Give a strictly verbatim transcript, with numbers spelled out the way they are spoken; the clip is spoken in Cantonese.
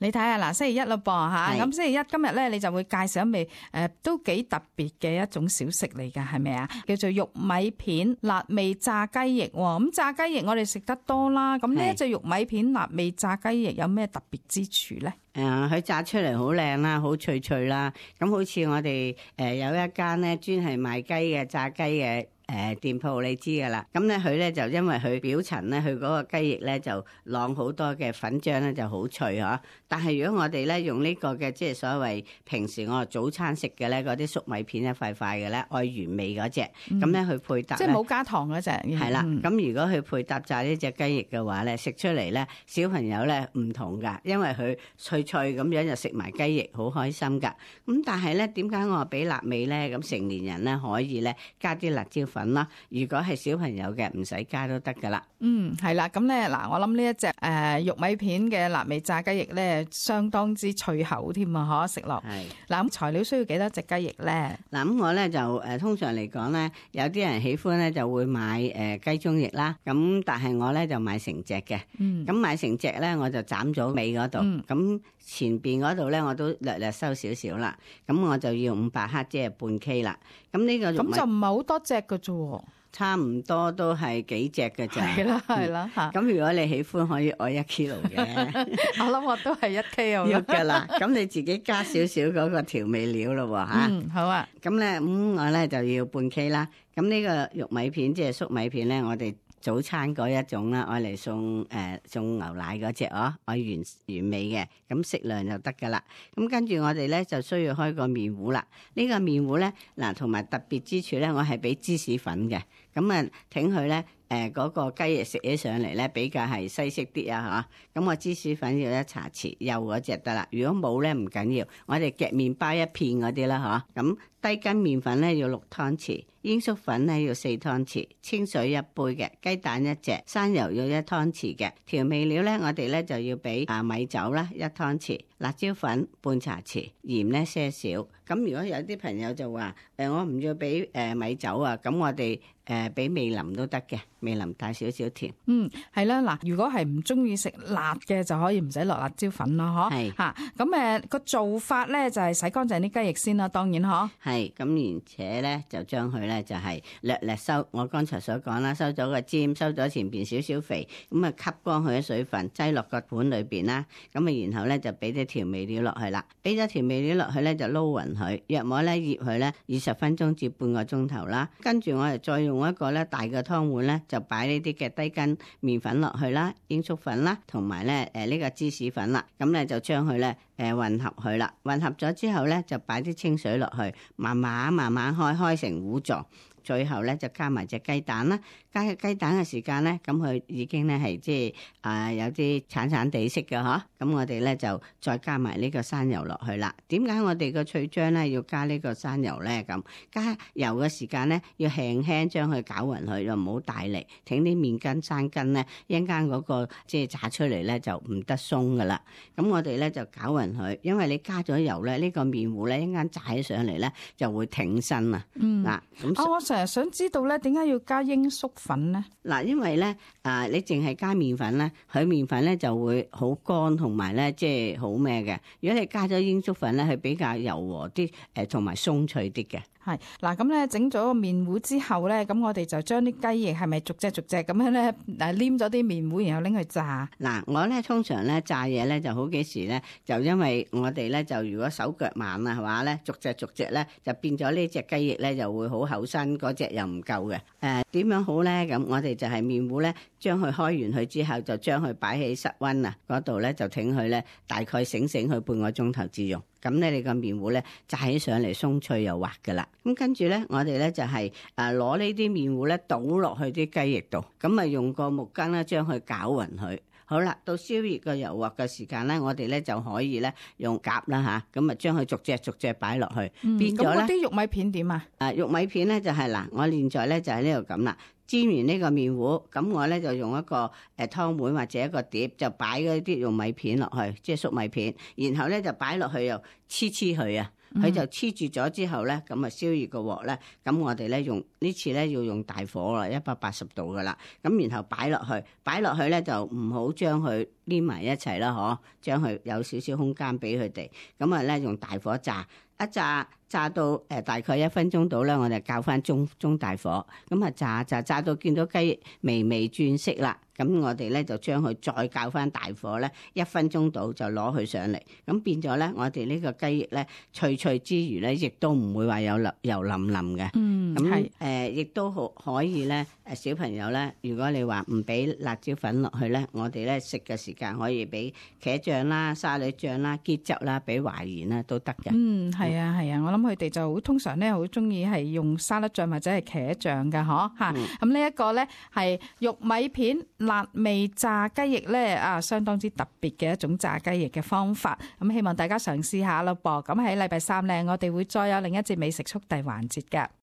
你睇下嗱，星期一咯噃吓，咁星期一今日咧，你就會介紹一味誒、呃、都幾特別嘅一種小食嚟噶，係咪啊？叫做玉米片辣味炸雞翼。咁炸雞翼我哋食得多啦，咁呢一隻玉米片辣味炸雞翼有咩特別之處咧？誒、呃，佢炸出嚟好靚啦，好脆脆啦。咁好似我哋誒、呃、有一間咧專係賣雞嘅炸雞嘅。誒、呃，店鋪你知噶啦，咁咧佢咧就因為佢表層咧，佢嗰個雞翼咧就晾好多嘅粉漿咧就好脆嗬。但係如果我哋咧用呢個嘅即係所謂平時我早餐食嘅咧嗰啲粟米片一塊塊嘅咧，愛原味嗰隻，咁咧佢配搭即係冇加糖嗰隻，係啦。咁、嗯、如果佢配搭炸呢隻雞翼嘅話咧，食出嚟咧小朋友咧唔同噶，因為佢脆脆咁樣就食埋雞翼，好開心噶。咁但係咧點解我話俾辣味咧？咁成年人咧可以咧加啲辣椒粉啦，如果係小朋友嘅唔使加都得噶啦。嗯，係啦，咁咧嗱，我諗呢一隻誒、呃、玉米片嘅辣味炸雞翼咧，相當之脆口添啊，可食落。係嗱，咁材料需要幾多隻雞翼咧？嗱，咁我咧就誒、呃、通常嚟講咧，有啲人喜歡咧就會買誒、呃、雞中翼啦。咁但係我咧就買成隻嘅。嗯。咁買成隻咧，我就斬咗尾嗰度。咁、嗯、前邊嗰度咧，我都略略收少少啦。咁我就要五百克，即係半 K 啦。咁呢個咁就唔係好多隻㗎啫。差唔多都係幾隻嘅啫，係啦係啦吓。咁、嗯、如果你喜歡，可以愛一 kilo 嘅。我諗我都係一 K 咁嘅啦。咁你自己加少少嗰個調味料咯吓。嗯，好啊。咁咧，咁我咧就要半 K 啦。咁呢個玉米片即係粟米片咧，我哋早餐嗰一種啦，愛嚟送誒、呃、送牛奶嗰隻哦，愛原原味嘅，咁適量就得噶啦。咁跟住我哋咧就需要開個麵糊啦。呢、這個麵糊咧嗱，同埋特別之處咧，我係俾芝士粉嘅。咁啊，挺佢咧，誒、呃、嗰、那個雞翼食起上嚟咧，比較係西式啲啊嚇。咁我芝士粉要一茶匙，幼嗰隻得啦。如果冇咧唔緊要，我哋夾麵包一片嗰啲啦嚇。咁低筋麵粉咧要六湯匙，鷹粟粉咧要四湯匙，清水一杯嘅，雞蛋一隻，生油要一湯匙嘅。調味料咧，我哋咧就要俾啊米酒啦一湯匙，辣椒粉半茶匙，鹽咧些少。咁如果有啲朋友就話誒、呃、我唔要俾誒米酒啊，咁我哋誒俾味淋都得嘅，味淋帶少少甜。嗯，係啦，嗱，如果係唔中意食辣嘅，就可以唔使落辣椒粉咯，嗬。係吓，咁誒個做法咧就係洗乾淨啲雞翼先啦，當然嗬。係，咁而且咧就將佢咧就係略略收，我剛才所講啦，收咗個尖，收咗前邊少少肥，咁啊吸乾佢嘅水分，擠落個盤裏邊啦。咁啊然後咧就俾啲調味料落去啦，俾咗調味料落去咧就撈勻佢，約莫咧醃佢咧二十分鐘至半個鐘頭啦。跟住我哋再用一個咧大嘅湯碗咧，就擺呢啲嘅低筋麵粉落去啦，鷹粟粉啦，同埋咧誒呢個芝士粉啦。咁咧就將佢咧誒混合佢啦，混合咗之後咧就擺啲清水落去，慢慢慢慢開開成糊狀。最後咧就加埋隻雞蛋啦，加雞蛋嘅時間咧，咁佢已經咧係即係啊有啲橙橙地色嘅嗬，咁我哋咧就再加埋呢個生油落去啦。點解我哋個脆漿咧要加呢個生油咧？咁加油嘅時間咧要輕輕將佢攪勻佢，又唔好大力，挺啲麵筋生筋咧，一陣間嗰個即係炸出嚟咧就唔得鬆噶啦。咁我哋咧就攪勻佢，因為你加咗油咧，呢個麵糊咧一陣間炸起上嚟咧就會挺身啊。嗯，嗱咁。誒，想知道咧，點解要加鷹粟粉咧？嗱，因為咧，啊，你淨係加麵粉咧，佢麵粉咧就會好乾，同埋咧即係好咩嘅。如果你加咗鷹粟粉咧，佢比較柔和啲，誒，同埋鬆脆啲嘅。係嗱，咁咧整咗個麵糊之後咧，咁我哋就將啲雞翼係咪逐隻逐隻咁樣咧，誒黏咗啲麵糊，然後拎去炸。嗱，我咧通常咧炸嘢咧就好幾時咧，就因為我哋咧就如果手腳慢啊，係嘛咧，逐隻逐隻咧就變咗呢隻雞翼咧就會好厚身，嗰隻又唔夠嘅。誒、呃，點樣好咧？咁我哋就係麵糊咧，將佢開完佢之後，就將佢擺喺室溫啊嗰度咧，就挺佢咧，大概醒醒佢半個鐘頭至用。咁咧，你個麵糊咧炸起上嚟鬆脆又滑噶啦。咁跟住咧，我哋咧就係誒攞呢啲麵糊咧倒落去啲雞翼度，咁啊用個木羹咧將佢攪勻佢。好啦，到燒熱個油鑊嘅時間咧，我哋咧就可以咧用夾啦吓，咁啊將佢逐隻逐隻擺落去，嗯、變咗咧。咁嗰啲玉米片點啊？誒，玉米片咧就係、是、嗱，我現在咧就喺呢度咁啦。煎完呢個麵糊，咁我咧就用一個誒湯碗或者一個碟，就擺嗰啲玉米片落去，即係粟米片，然後咧就擺落去又黐黐佢啊，佢就黐住咗之後咧，咁啊燒熱個鑊咧，咁我哋咧用呢次咧要用大火啦，一百八十度噶啦，咁然後擺落去，擺落去咧就唔好將佢黏埋一齊啦，嗬，將佢有少少空間俾佢哋，咁啊咧用大火炸，一炸炸到誒大概一分鐘到咧，我哋較翻中中大火，咁啊炸炸炸到見到雞微微轉色啦。咁我哋咧就將佢再較翻大火咧，一分鐘到就攞佢上嚟。咁變咗咧，我哋呢個雞翼咧脆脆之餘咧，亦都唔會話有油油淋淋嘅。嗯，咁誒，亦都可可以咧。誒小朋友咧，如果你話唔俾辣椒粉落去咧，我哋咧食嘅時間可以俾茄醬啦、沙律醬啦、結汁啦、俾淮鹽啦都得嘅。嗯，係啊，係啊，我諗佢哋就通常咧好中意係用沙律醬或者係茄醬嘅，嗬嚇。咁呢一個咧係玉米片辣味炸雞翼咧啊，相當之特別嘅一種炸雞翼嘅方法。咁希望大家嘗試下咯噃。咁喺禮拜三咧，我哋會再有另一節美食速遞環節嘅。